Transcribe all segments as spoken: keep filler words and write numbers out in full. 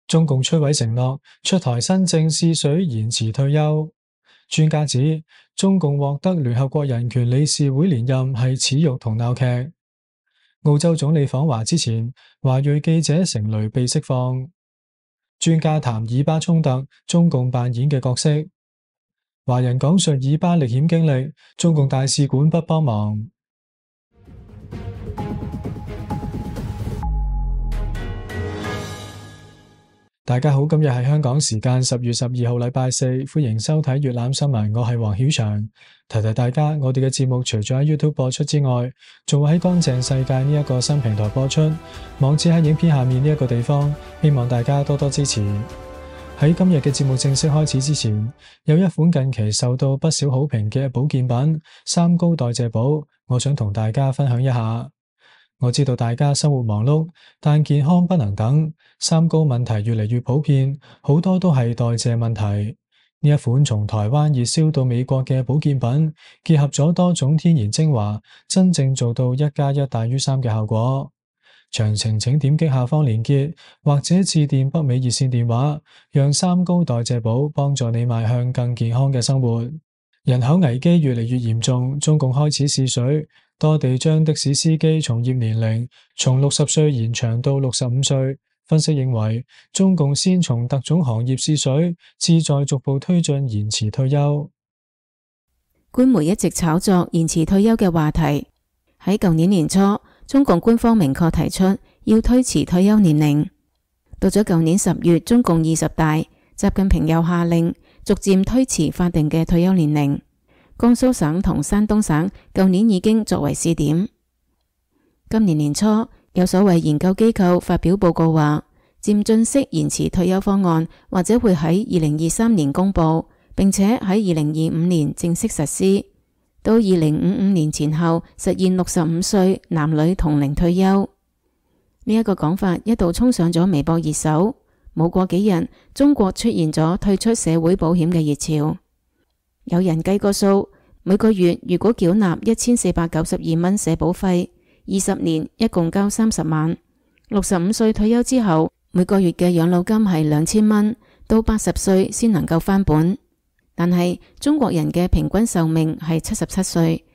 中共出位承諾，出台新政試水延遲退休。專家指，中共獲得聯合國人權理事會連任係恥辱同鬧劇。澳洲總理訪華之前，華裔記者成蕾被釋放。專家談以巴衝突，中共扮演嘅角色。華人講述以巴歷險經歷，中共大使館不幫忙。大家好，今日係香港時間十月十二號禮拜四，歡迎收睇粵覽新聞，我係黃曉翔。提提大家，我哋嘅節目除咗喺 YouTube 播出之外，仲會喺乾淨世界呢一個新平台播出，網址喺影片下面呢一個地方，希望大家多多支持。喺今日嘅節目正式開始之前，有一款近期受到不少好評嘅保健品三高代謝寶，我想同大家分享一下。我知道大家生活忙碌，但健康不能等，三高問題越嚟越普遍，好多都係代謝問題。呢一款從台灣熱銷到美國嘅保健品，結合咗多種天然精華，真正做到一加一大於三嘅效果。詳情請點擊下方鏈接，或者致電北美熱線電話，讓三高代謝寶幫助你邁向更健康嘅生活。人口危機越嚟越嚴重，中共開始試水，多地將的士司機從業年齡從六十歲延長到六十五歲。分析認為，中共先從特種行業試水，志在逐步推進延遲退休。官媒一直炒作延遲退休嘅話題。喺舊年年初，中共官方明確提出要推遲退休年齡。到咗舊年十月，中共二十大，習近平又下令逐漸推遲法定嘅退休年齡。江蘇省同山東省舊年已經作為試點。今年年初，有所謂研究機構發表報告話，漸進式延遲退休方案或者會喺二零二三年公布，並且喺二零二五年正式實施，到二零五五年前後實現六十五歲男女同齡退休。呢一個講法一度衝上咗微博熱搜，冇過幾日，中國出現咗退出社會保險嘅熱潮。有人計過數，每個月如果繳納一千四百九十二蚊社保費，二十年一共交三十萬。六十五歲退休之後，每個月嘅養老金係兩千蚊，到八十歲先能夠翻本。但係中國人嘅平均壽命係七十七歲，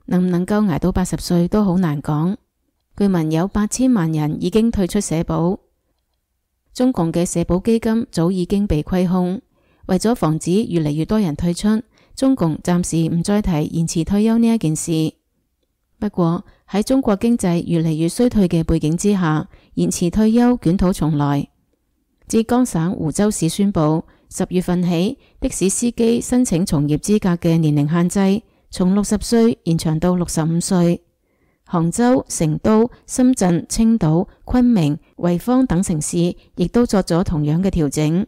能唔能夠捱到八十歲都好難講。據聞有八千萬人已經退出社保，中共嘅社保基金早已經被虧空。為咗防止越嚟越多人退出，中共暫時唔再提延遲退休呢一件事。不過喺中國經濟越嚟越衰退嘅背景之下，延遲退休捲土重來。浙江省湖州市宣布，十月份起，的士司機申請從業資格嘅年齡限制從六十歲延長到六十五歲。杭州、成都、深圳、青島、昆明、濰坊等城市亦都作咗同樣嘅調整。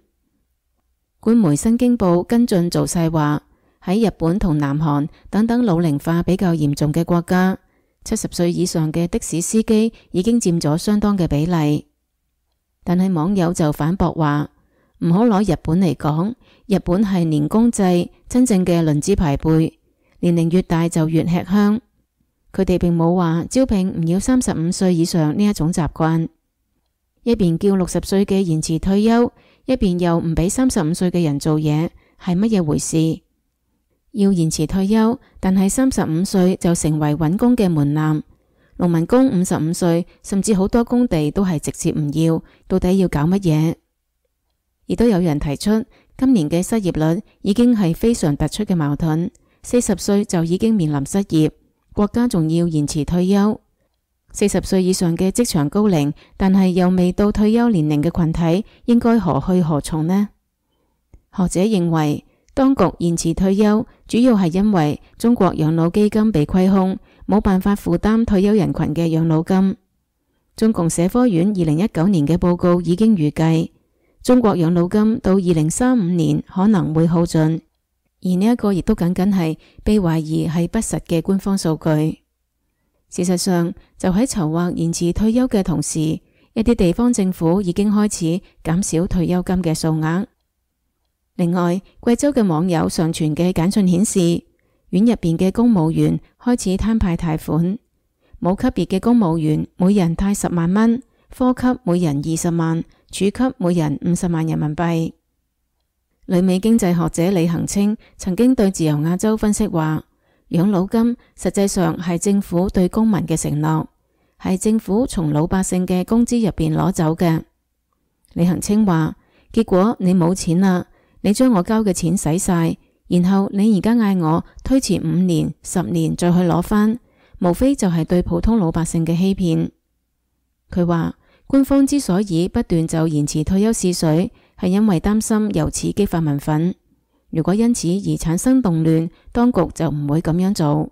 官媒新京報跟進造勢話，喺日本同南韓等等老齡化比較嚴重嘅國家，七十歲以上嘅的，的士司機已經佔咗相當嘅比例。但係網友就反駁話，唔好攞日本嚟講，日本係年功制，真正嘅論資排輩，年齡越大就越吃香。佢哋並冇話招聘唔要三十五歲以上呢一種習慣，一邊叫六十歲嘅延遲退休，一邊又唔俾三十五歲嘅人做嘢，係乜嘢回事？要延遲退休，但係三十五歲就成為揾工嘅門檻。農民工五十五歲，甚至好多工地都係直接唔要，到底要搞乜嘢？亦都有人提出，今年嘅失業率已經係非常突出嘅矛盾，四十歲就已經面臨失業，國家仲要延遲退休。四十歲以上嘅職場高齡，但係又未到退休年齡嘅群體，應該何去何從呢？學者認為，當局延遲退休，主要係因為中國養老基金被虧空，冇辦法負擔退休人群嘅養老金。中共社科院二零一九年嘅報告已經預計，中國養老金到二零三五年可能會耗盡，而呢一個亦都僅僅係被懷疑係不實嘅官方數據。事實上，就喺籌劃延遲退休嘅同時，一啲地方政府已經開始減少退休金嘅數額。另外，貴州嘅網友上傳嘅簡訊顯示，院入邊嘅公務員開始攤派貸款，冇級別嘅公務員每人貸十萬蚊，科級每人二十萬，處給每人五十萬人民幣。旅美經濟學者李恒清曾經對自由亞洲分析話，養老金實際上係政府對公民嘅承諾，係政府從老百姓嘅工資入邊攞走嘅。李恒清話，結果你冇錢啦，你將我交嘅錢使晒，然後你而家嗌我推遲五年、十年再去攞返，無非就係對普通老百姓嘅欺騙。佢話，官方之所以不斷就延遲退休試水，係因為擔心由此激發民憤。如果因此而產生動亂，當局就唔會咁樣做。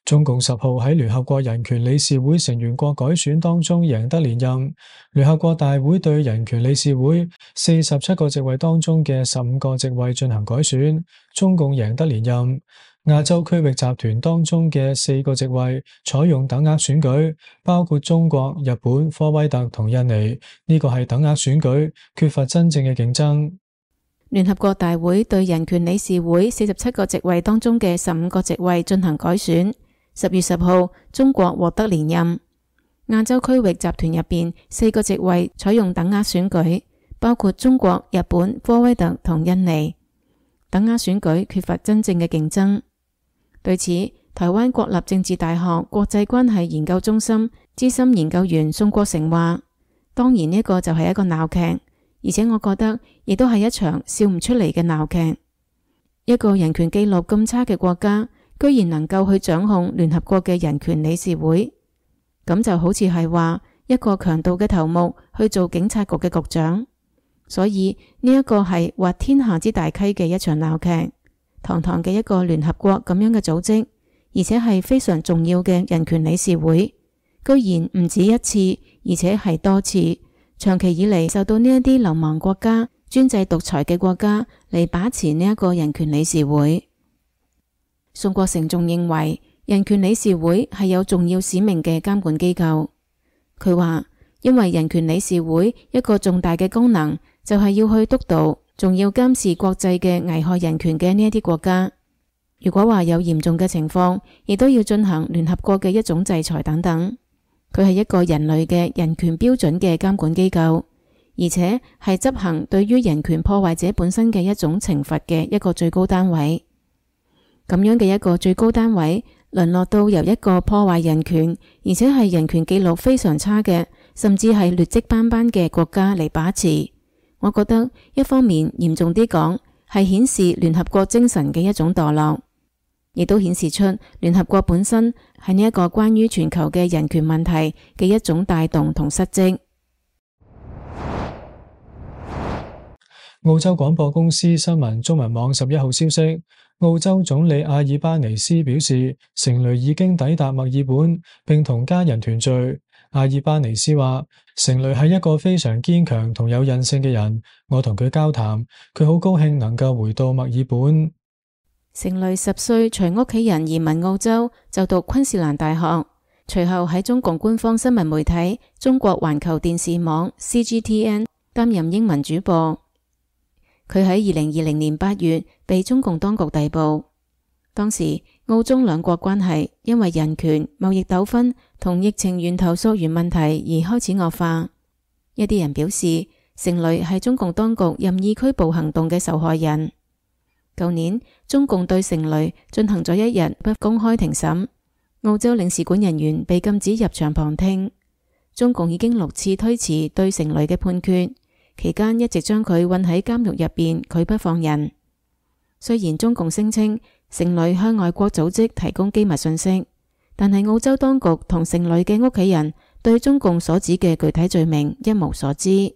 中共十號喺聯合國人權理事會成員國改選當中贏得連任。聯合國大會對人權理事會四十七個席位當中嘅十五個席位進行改選，中共贏得連任。亞洲區域集團當中嘅四個席位採用等額選舉，包括中國、日本、科威特同印尼。呢個係等額選舉，缺乏真正嘅競爭。聯合國大會對人權理事會四十七個席位當中嘅十五個席位進行改選。十月十號，中國獲得連任。亞洲區域集團入邊四個席位採用等額選舉，包括中國、日本、科威特同印尼。等額選舉缺乏真正嘅競爭。對此，台灣國立政治大學國際關係研究中心資深研究員宋國成話，當然呢個就係一個鬧劇，而且我覺得亦都係一場笑唔出嚟嘅鬧劇。一個人權記錄咁差嘅國家，居然能夠去掌控聯合國嘅人權理事會，咁就好似係話一個強盜嘅頭目去做警察局嘅局長。所以呢一個係滑天下之大稽嘅一場鬧劇。堂堂嘅一個聯合國咁樣嘅組織，而且係非常重要嘅人權理事會，居然唔止一次，而且係多次，長期以嚟受到呢一啲流氓國家、專制獨裁嘅國家嚟把持呢一個人權理事會。宋國成仲認為，人權理事會係有重要使命嘅監管機構。佢話，因為人權理事會一個重大嘅功能就係要去督導，仲要監視國際嘅危害人權嘅呢一啲國家。如果話有嚴重嘅情況，亦都要進行聯合國嘅一種制裁等等。佢係一個人類嘅人權標準嘅監管機構，而且係執行對於人權破壞者本身嘅一種懲罰嘅一個最高單位。咁樣嘅一個最高單位，淪落到由一個破壞人權，而且係人權記錄非常差嘅，甚至係劣跡斑斑嘅國家嚟把持。我覺得一方面嚴重啲講，係顯示聯合國精神嘅一種墮落，亦都顯示出聯合國本身係呢一個關於全球嘅人權問題嘅一種帶動同失職。澳洲廣播公司新聞中文網十一號消息，澳洲總理阿爾巴尼斯表示，成蕾已經抵達墨爾本，並同家人團聚。阿爾巴尼斯話，成蕾係一個非常堅強同有韌性嘅人，我同佢交談，佢好高興能夠回到墨爾本。成蕾十歲隨屋企人移民澳洲，就讀昆士蘭大學，隨後喺中共官方新聞媒體中國環球電視網 C G T N 擔任英文主播。佢喺二零二零年八月被中共當局逮捕，當時澳中兩國關係因為人權、貿易糾紛同疫情源頭溯源問題而開始惡化。一啲人表示，成蕾係中共當局任意拘捕行動嘅受害人。舊年，中共對成蕾進行咗一日不公開庭審，澳洲領事館人員被禁止入場旁聽。中共已經六次推遲對成蕾嘅判決，期間一直將佢困喺監獄入邊，拒不放人。雖然中共聲稱成蕾向外國組織提供機密信息，但係澳洲當局同成蕾嘅屋企人對中共所指嘅具體罪名一無所知。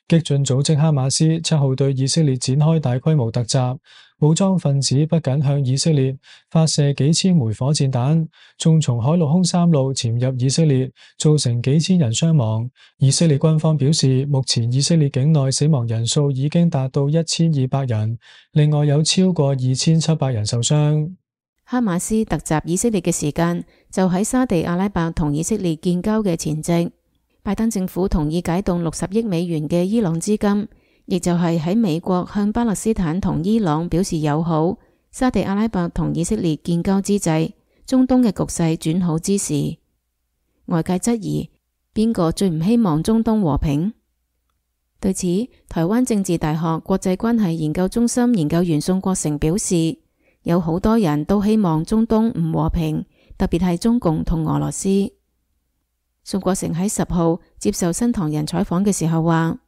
激進組織哈馬斯七號對以色列展開大規模突襲，武裝分子不僅向以色列發射幾千枚火箭彈，仲從海陸空三路潛入以色列，造成幾千人傷亡。以色列軍方表示，目前以色列境內死亡人數已經達到一千二百人，另外有超過二千七百人受傷。哈馬斯突襲以色列嘅時間就喺沙地阿拉伯同以色列建交嘅前夕。拜登政府同意解凍六十億美元嘅伊朗資金，亦就係喺美國向巴勒斯坦同伊朗表示友好、沙地阿拉伯同以色列建交之際，中東嘅局勢轉好之時。外界質疑邊個最唔希望中東和平？對此，台灣政治大學國際關係研究中心研究員宋國成表示，有好多人都希望中東唔和平，特別係中共同俄羅斯。宋國成喺十號接受新唐人採訪嘅時候話，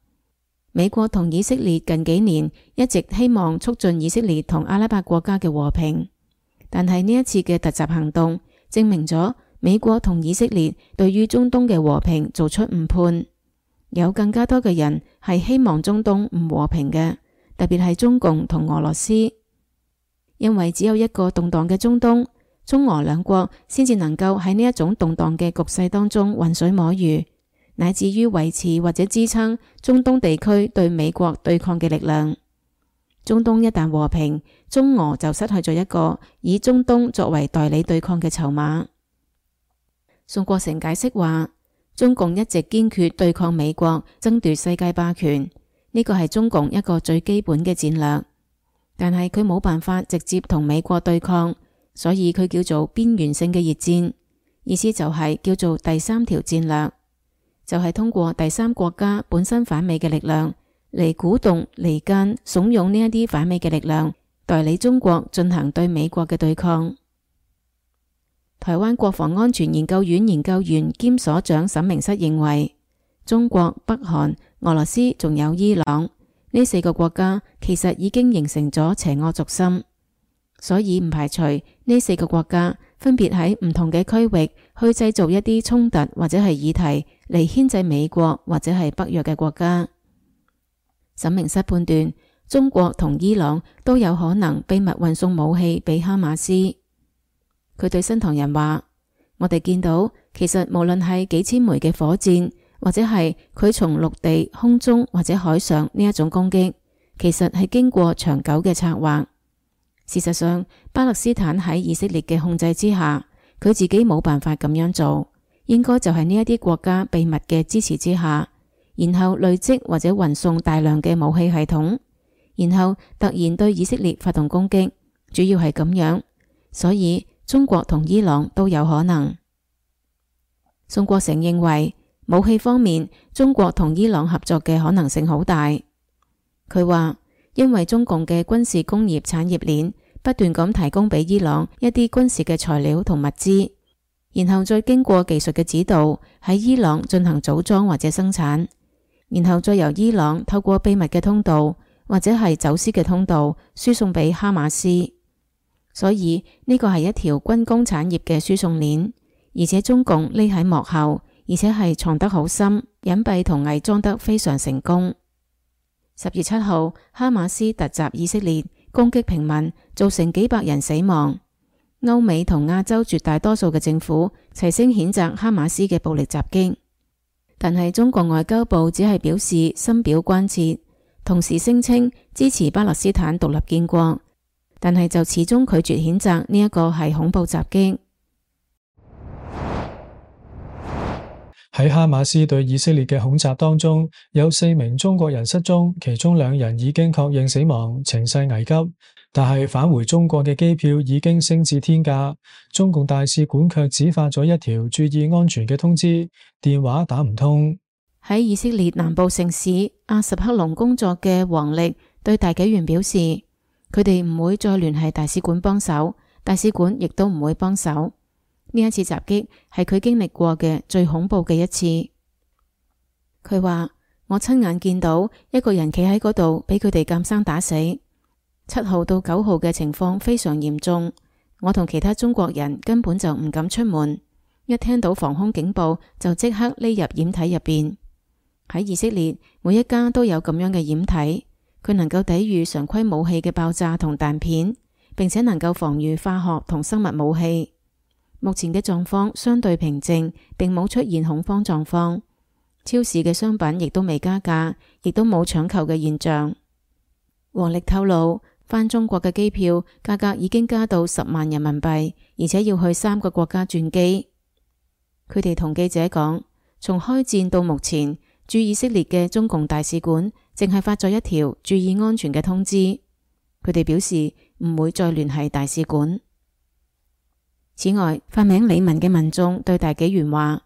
美國同以色列近幾年一直希望促進以色列同阿拉伯國家嘅和平，但係呢一次嘅突襲行動證明咗美國同以色列對於中東嘅和平做出誤判。有更加多嘅人係希望中東唔和平嘅，特別係中共同俄羅斯，因為只有一個動盪嘅中東，中俄兩國先至能夠喺呢一種動盪嘅局勢當中渾水摸魚，乃至於維持或者支撐中東地區對美國對抗嘅力量。中東一旦和平，中俄就失去咗一個以中東作為代理對抗嘅籌碼。宋國成解釋話，中共一直堅決對抗美國，爭奪世界霸權，呢個係中共一個最基本嘅戰略。但係佢冇辦法直接同美國對抗，所以佢叫做邊緣性嘅熱戰，意思就係叫做第三條戰略，就係通過第三國家本身反美嘅力量嚟鼓動、離間、慫恿呢一啲反美嘅力量，代理中國進行對美國嘅對抗。台灣國防安全研究院研究員兼所長沈明室認為，中國、北韓、俄羅斯仲有伊朗呢四個國家其實已經形成咗邪惡軸心，所以唔排除呢四個國家分別喺唔同嘅區域去製造一啲衝突或者係議題嚟牽制美國或者係北約嘅國家。沈明室判斷，中國同伊朗都有可能秘密運送武器俾哈馬斯。佢對新唐人話，我哋見到其實無論係幾千枚嘅火箭，或者係佢從陸地、空中或者海上呢一種攻擊，其實係經過長久嘅策劃。事實上，巴勒斯坦喺以色列嘅控制之下，佢自己冇辦法咁樣做，應該就係呢一啲國家秘密嘅支持之下，然後累積或者運送大量嘅武器系統，然後突然對以色列發動攻擊，主要係咁樣。所以中國同伊朗都有可能。宋國成認為，武器方面，中國同伊朗合作嘅可能性好大。佢話，因為中共嘅軍事工業產業鏈不斷咁提供俾伊朗一啲軍事嘅材料同物資，然後再經過技術嘅指導喺伊朗進行組裝或者生產，然後再由伊朗透過秘密嘅通道或者係走私嘅通道輸送俾哈馬斯。所以呢個係一條軍工產業嘅輸送鏈，而且中共匿喺幕後，而且係藏得好深，隱蔽同偽裝得非常成功。十月七號，哈馬斯突襲以色列，攻擊平民，造成幾百人死亡。歐美同亞洲絕大多數嘅政府齊聲譴責哈馬斯嘅暴力襲擊，但係中國外交部只係表示深表關切，同時聲稱支持巴勒斯坦獨立建國，但係就始終拒絕譴責呢一個係恐怖襲擊。喺哈馬斯對以色列嘅恐襲當中，有四名中國人失蹤，其中兩人已經確認死亡，情勢危急。但係返回中國嘅機票已經升至天價，中共大使館卻只發咗一條注意安全嘅通知，電話打唔通。喺以色列南部城市阿什克隆工作嘅王力對大紀元表示，佢哋唔會再聯繫大使館幫手，大使館亦都唔會幫手。呢一次襲擊係佢經歷過嘅最恐怖嘅一次。佢話，我親眼見到一個人企喺嗰度，俾佢哋監生打死。七號到九號嘅情況非常嚴重，我同其他中國人根本就唔敢出門，一聽到防空警報就即刻匿入掩體入邊。喺以色列，每一家都有咁樣嘅掩體，佢能夠抵禦常規武器嘅爆炸同彈片，並且能夠防禦化學同生物武器。目前嘅狀況相對平靜，並冇出現恐慌狀況。超市嘅商品亦都未加價，亦都冇搶購嘅現象。王力透露，返中國嘅機票價格已經加到十萬人民幣，而且要去三個國家轉機。佢哋同記者講，從開戰到目前，駐以色列嘅中共大使館淨係發咗一條注意安全嘅通知。佢哋表示唔會再聯繫大使館。此外，化名李文嘅民眾對大紀元話：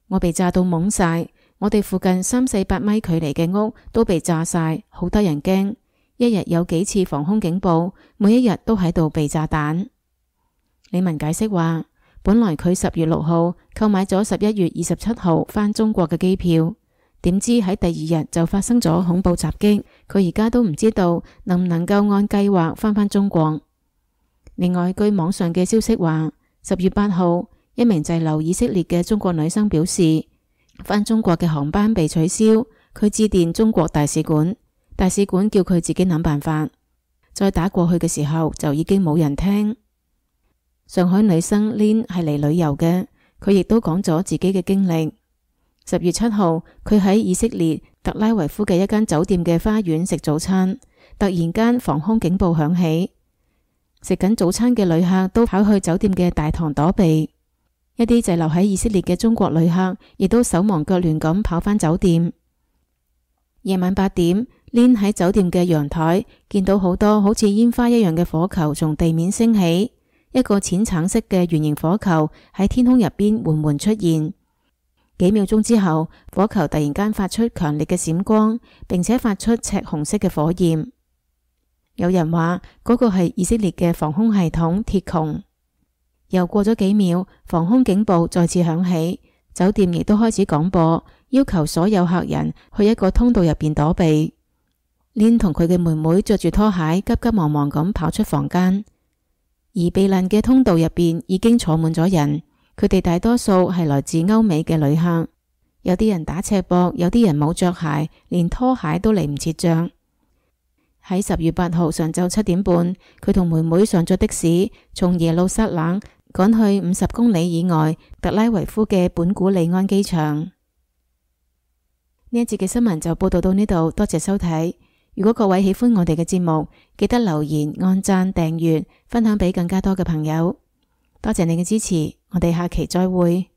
我被炸到懵晒，我哋附近三四百米距離嘅屋都被炸晒，好得人驚。一日有幾次防空警報，每一日都喺度被炸彈。李文解釋話，本來佢十月六號購買咗十一月二十七號返中國嘅機票，點知喺第二日就發生咗恐怖襲擊，佢而家都唔知道能唔能夠按計劃返返中國。另外，據網上嘅消息話，十月八號，一名滯留以色列嘅中國女生表示，返中國嘅航班被取消，佢致電中國大使館，大使館叫佢自己諗辦法。再打過去嘅時候，就已經冇人聽。上海女生 Lin 係嚟旅遊嘅，佢亦都講咗自己嘅經歷。十月七號，佢喺以色列特拉維夫嘅一間酒店嘅花園食早餐，突然間防空警報響起。食緊早餐嘅旅客都跑去酒店嘅大堂躲避，一啲滯留喺以色列嘅中國旅客亦都手忙腳亂咁跑返酒店。夜晚八點，Lin 喺酒店嘅陽台見到好多好似煙花一樣嘅火球從地面升起，一個淺橙色嘅圓形火球喺天空入邊緩緩出現。幾秒鐘之後，火球突然間發出強烈嘅閃光，並且發出赤紅色嘅火焰。有人話嗰個係以色列嘅防空系統鐵穹。又過咗幾秒，防空警報再次響起，酒店亦都開始廣播，要求所有客人去一個通道入邊躲避。Lin 同佢嘅妹妹着住拖鞋，急急忙忙咁跑出房間，而避難嘅通道入邊已經坐滿咗人，佢哋大多數係來自歐美嘅旅客，有啲人打赤膊，有啲人冇着鞋，連拖鞋都嚟唔切着。喺十月八號上晝七點半，佢同妹妹上咗的士，從耶路撒冷趕去五十公里以外特拉維夫嘅本古里安機場。呢一節嘅新聞就報道到呢度，多謝收睇。如果各位喜歡我哋嘅節目，記得留言、按讚、訂閱、分享俾更加多嘅朋友。多謝你嘅支持，我哋下期再會。